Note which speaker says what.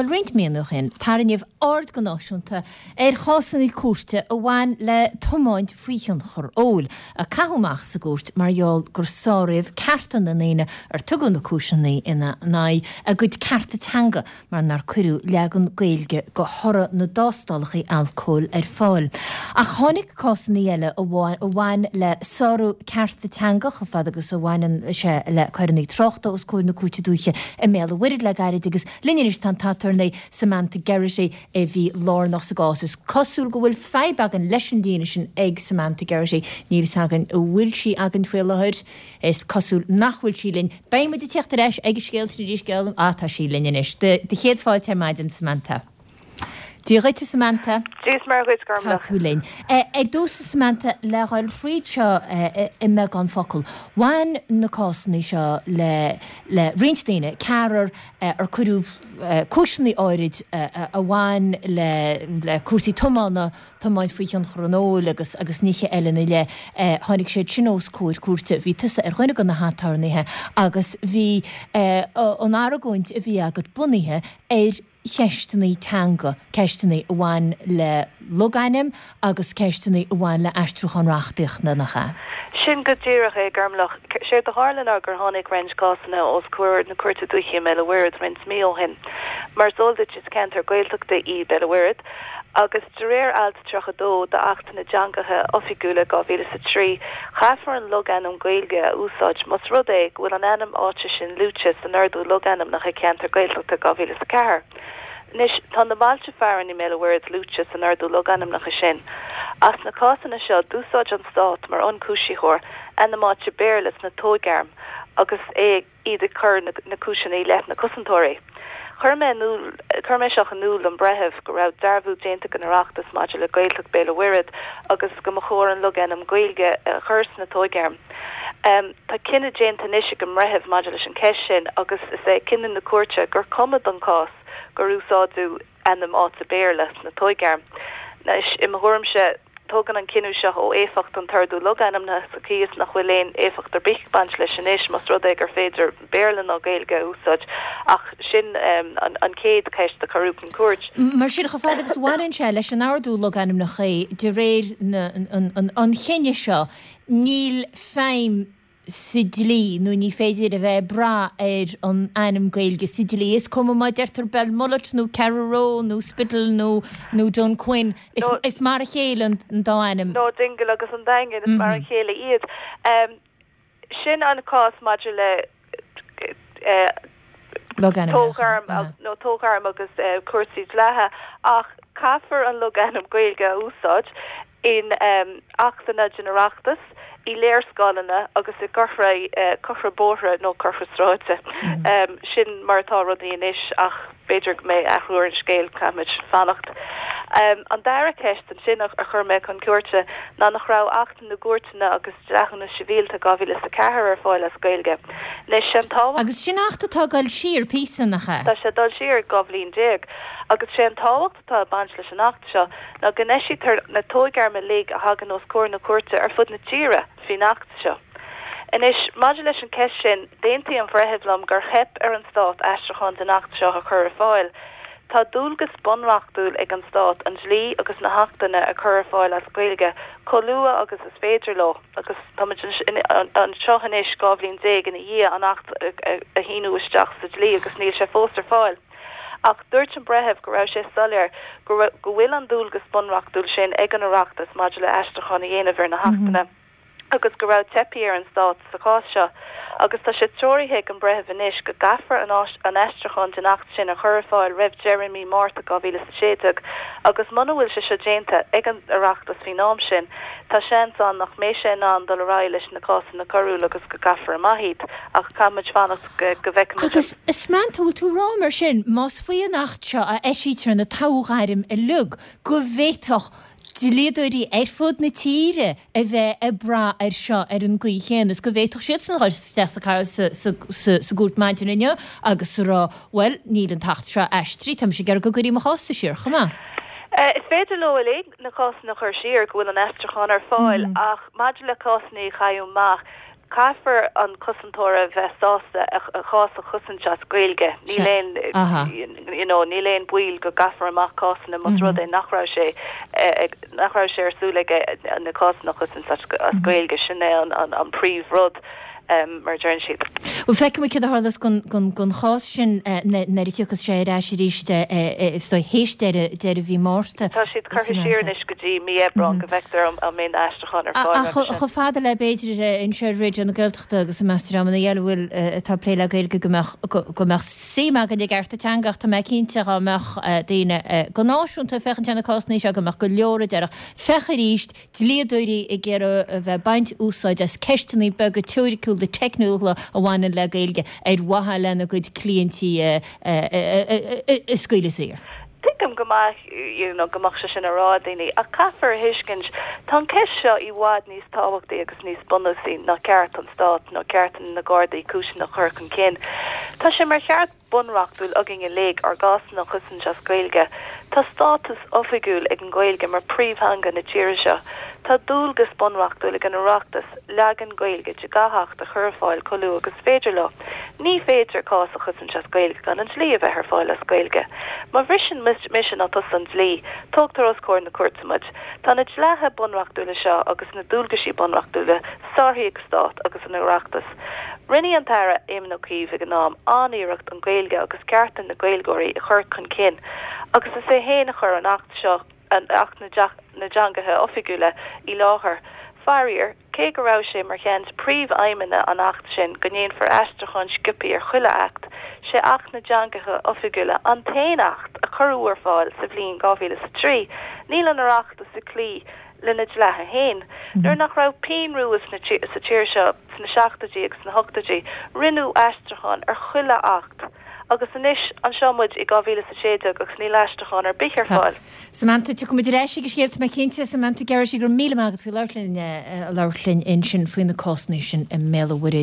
Speaker 1: Bhuel, roinnt míonna ó shin, tarraingíodh aird go náisiúnta ar chásanna cúirte a bhain le tiomáint faoi thionchar óil, a caitheadh amach sa gcúirt mar gheall gur sáraíodh cearta na ndaoine ar tugadh na cúiseanna ina n-aghaidh, a gcuid cearta teanga mar nár cuireadh leagan Gaeilge de thoradh na dtástálacha alcóil ar fáil. Ach tháinig cásanna eile a bhain le sárú cearta teanga chomh fada agus a bhaineann sé le coireanna tráchta os comhair na Cúirte Dúiche i mBéal an Mhuirthead le gairid agus linn anois tá an t-aturnae Samantha Geraghty a bhí lárnach sa gcás. Is cosúil go bhfuil fadhb againn leis an líne sin ag Samantha Geraghty. Níl fhios againn an bhfuil sí againn faoi láthair. Is cosúil nach bhfuil sí linn. Beidh muid ag teacht ar ais ag an scéal sin arís, geall. Ah, tá sí linn anois. Do chéad fáilte ar maidin, Samantha. Dia dhuit, a Samantha.
Speaker 2: Dia is Muire dhuit,
Speaker 1: Tá
Speaker 2: Gormlaith.
Speaker 1: tú linn. Ar dtús, a Samantha, le dhul fríd seo i mbeagán focal, bhain na cásanna seo le le roinnt daoine, ceathrar ar cuireadh cúiseanna áirid a bhain le le cúrsaí tiomána, tiomáint faoi thionchar an óil agus agus nithe eile ina leith. Tháinig siad sin os comhair cúirte. Bhí tusa ar dhuine de na haturnaetha agus bhí an argóint a bhí agat bunaithe ar cheisteanna teanga, ceisteanna a bhain le logainm agus ceisteanna a bhain le aistriúchán reachtaíochta, nach ea?
Speaker 2: Sin go díreach é, Gormlaith. Séard a tharla ná gur tháinig roinnt cásanna os comhair na Cúirte Dúiche i mBéal an Mhuirthead roinnt mí ó shin. Mar is eol duit, is ceantar Gaeltachta í Béal an Mhuirthead agus de réir Alt 32 d'Acht na dTeangacha Oifigiúla 2003, caithfear an logainm Gaeilge a úsáid más rud é go bhfuil an ainm áite sin luaite san Ordú Logainmneacha Ceantar Gaeltachta 2004. Anois, tá na bailte fearainn i mBéal an Mhuirthead luaite san Ordú Logainmneacha sin. Ach sna cásanna seo, d'úsáid an Stát mar ionchúisitheoir ainm áite Béarla sna toghairm agus é ag. iad ag cur na cúiseanna i leith na cosantóirí. Chuir mé in iúl, chuir mé seo in iúl don bhreitheamh go raibh dearbhú déanta ag an Oireachtas maidir le Gaeltacht Béal an Mhuirthead agus go mba chóir an logainm Gaeilge a chur sna toghairm. Tá cinneadh déanta anois ag an mbreitheamh maidir leis an ceist sin agus is é cinneadh na cúirte gur cuma don chás gur úsáideadh ainm áite Béarla sna toghairm. Anois, i mo thuairimse, tógann an cinneadh seo ó éifeacht an t-ordú logainmneacha sa chaoi is nach bhfuil aon éifeacht ar bith ag baint leis anois más rud é gur féidir Béarla ná Gaeilge a úsáid. Ach sin an chéad cheist a cuireadh chun cúirt.
Speaker 1: Mar sin, chomh fada agus a bhaineann sé leis an ordú logainmneacha, de réir an chinnidh seo, níl feidhm sa dlí nó ní féidir a bheith ag brath ar an ainm Gaeilge sa dlí. Is cuma má deirtear Belmullet nó Carraroe nó Spiddal nó nó Dunquin, is is mar a chéile an dá ainm.
Speaker 2: Nó Dingle agus an Daingean, is mar a chéile iad. Sin an cás maidir le
Speaker 1: Logainmneacha.
Speaker 2: nó toghairm agus cúrsaí dleatha ach caithfear an logainm Gaeilge a úsáid in Achtanna den Oireachtas, i léarscáileanna agus i gcomharthaí bóithre nó comharthaí sráide. Sin mar atá rudaí anois ach b'fhéidir go mbeidh athrú ar an scéal, caithfimid fanacht. An dara ceist ansin a chuir mé chun cúirte ná nach raibh Acht na gCúirteanna agus Dleathúnas Sibhialta 2004 ar fáil as Gaeilge. Anois, sé an
Speaker 1: tábhacht. Agus sin Acht atá ag dul siar píosa, nach ea?
Speaker 2: Tá sé ag dul siar 12 bhliain. Agus sé an tábhacht atá ag baint leis an Acht seo ná go n-eisítear na toghairm uilig a thagann os comhair na cúirte ar fud na tíre faoin Acht seo. Anois, maidir leis an ceist sin, d'aontaigh an bhreitheamh liom gur theip ar an Stát aistriúchán den Acht seo a chur ar fáil. Tá dualgas bunreachtúil ag an Stát an dlí agus na hAchtanna a chur ar fáil as Gaeilge chomh luath agus is féidir leo agus táimid anseo anois 12 bhliain ina dhiaidh an Acht a shíniú isteach sa dlí agus níl sé fós ar fáil. Ach dúirt an breitheamh go raibh sé soiléir go go bhfuil an dualgas bunreachtúil sin ag an Oireachtas maidir le aistriúchán a dhéanamh ar na hAchtanna agus go raibh teipthe ar an Stát sa chás seo agus tá sé treoraithe ag an breitheamh anois go gcaithfear an aistriúchán den Acht sin a chur ar fáil roimh deireadh mí Márta 2016 agus muna bhfuil sé seo déanta ag an Oireachtas faoin am sin tá seans ann nach mbeidh sé in ann dul ar aghaidh leis na cásanna coiriúla agus go gcaithfear amach iad ach caithfimid fanacht go bhfeicfimid an.
Speaker 1: Agus, a Samantha, bhfuil tú ag rá mar sin, más faoi an Acht seo a eisítear na toghairm uilig, go bhféadfadh dlíodóirí ar fud na tíre a bheith ag brath air seo ar an gcaoi chéanna is go bhféadfadh siadsan a dhul isteach sa sa gcúirt maidin inniu agus a rá, bhuel, níl an tAcht seo aistrithe, tá mise ag iarraidh go gcuirfí mo chás-sa siar chomh maith.
Speaker 2: Is féidir leo uilig na cásanna a chur siar go bhfuil an aistriúchán ar fáil ach maidir le cásanna a chailleadh amach. Caithfear an cosantóir a bheith sásta a chás a chosaint as Gaeilge. Níl aon, you know, níl aon baol go gcaithfear amach cásanna más rud é nach raibh sé nach raibh sé ar súil aige na cásanna a chosaint as Gaeilge. Sin é an príomh-rud. mar a deireann siad.
Speaker 1: Bhuel, feicfidh muid céard a tharlós don chás sin nuair a thiocfas sé ar ais arís théis deireadh mhí Márta.
Speaker 2: Tá siad curtha siar anois go dtí mí Aibreán go bhfeictear an mbeidh na aistriúcháin ar fáil
Speaker 1: roimhe sin. Ach chomh fada le b'fhéidir anseo ar Raidió na Gaeltachta agus i measc dreamanna eile a bhfuil atá ag plé le Gaeilge go mbeadh go mbeadh suim againn i gcearta teanga ach tá mé cinnte dhá mbeadh daoine go náisiúnta ag féachaint ar na cásanna seo go mbeadh go leor a déarfadh féach arís dlíodóirí ag iarraidh a bheith ag baint úsáid as ceisteanna beaga teoiriciúla teicniúla a bhaineann le Gaeilge ar mhaithe lena gcuid cliaintí a scaoileadh saor.
Speaker 2: Tuigim go maith you know go mbeadh sé sin á rá ag daoine ach caithfear a thuiscint tá an ceist seo i bhfad níos tábhachtaí agus níos bunúsaí ná ceart an Stáit nó ceart na Gardaí cúiseanna a chur chun cinn. Tá sé mar cheart bunreachtúil againn uilig ár gcásanna a chosaint as Gaeilge. Tá státus oifigiúil ag an Ghaeilge mar príomhtheanga na tíre seo. Tá dualgas bunreachtúil ag an Oireachtas leagan Gaeilge de gach Acht a chur ar fáil chomh luath agus is féidir leo. Ní féidir cás a chosaint as Gaeilge gan an dlí a bheith ar fáil as Gaeilge. Má bhriseann mise nó tusa an dlí, tógtar os comhair na cúirte muid. Tá na dleatha bunreachtúla seo agus na dualgaisí bunreachtúla sáraithe ag Stát agus an Oireachtas. Rinne an tAire Éamon Ó Cuív ag an am an-iarracht an Ghaeilge agus cearta na Gaeilgeoirí a chur chun cinn agus is é féin a chuir an Acht seo, Acht na dTeangacha Oifigiúla, i láthair. Faraor, cé go raibh sé mar cheann de príomh-aidhmeanna an Acht sin go ndéanfar aistriúchán sciobtha ar chuile Acht, sé Acht na dTeangacha Oifigiúla an t-aon Acht a cuireadh ar fáil sa bhliain 2003. Níl an Oireachtas ag cloí lena dleatha féin. Nuair nach raibh pingin rua sa tír seo sna seachtóidí agus sna hochtóidí, rinneadh aistriúchán ar chuile Acht. Agus anois, anseo muid i 2016 agus níl aistriúchán ar bith ar fáil.
Speaker 1: Samantha, tiocfaidh muid ar ais ag an scéal, tá mé cinnte. Samantha Geraghty, go raibh míle maith agat faoi labhairt linn, labhairt linn ansin faoi na cásanna sin i mBéal an Mhuirthead.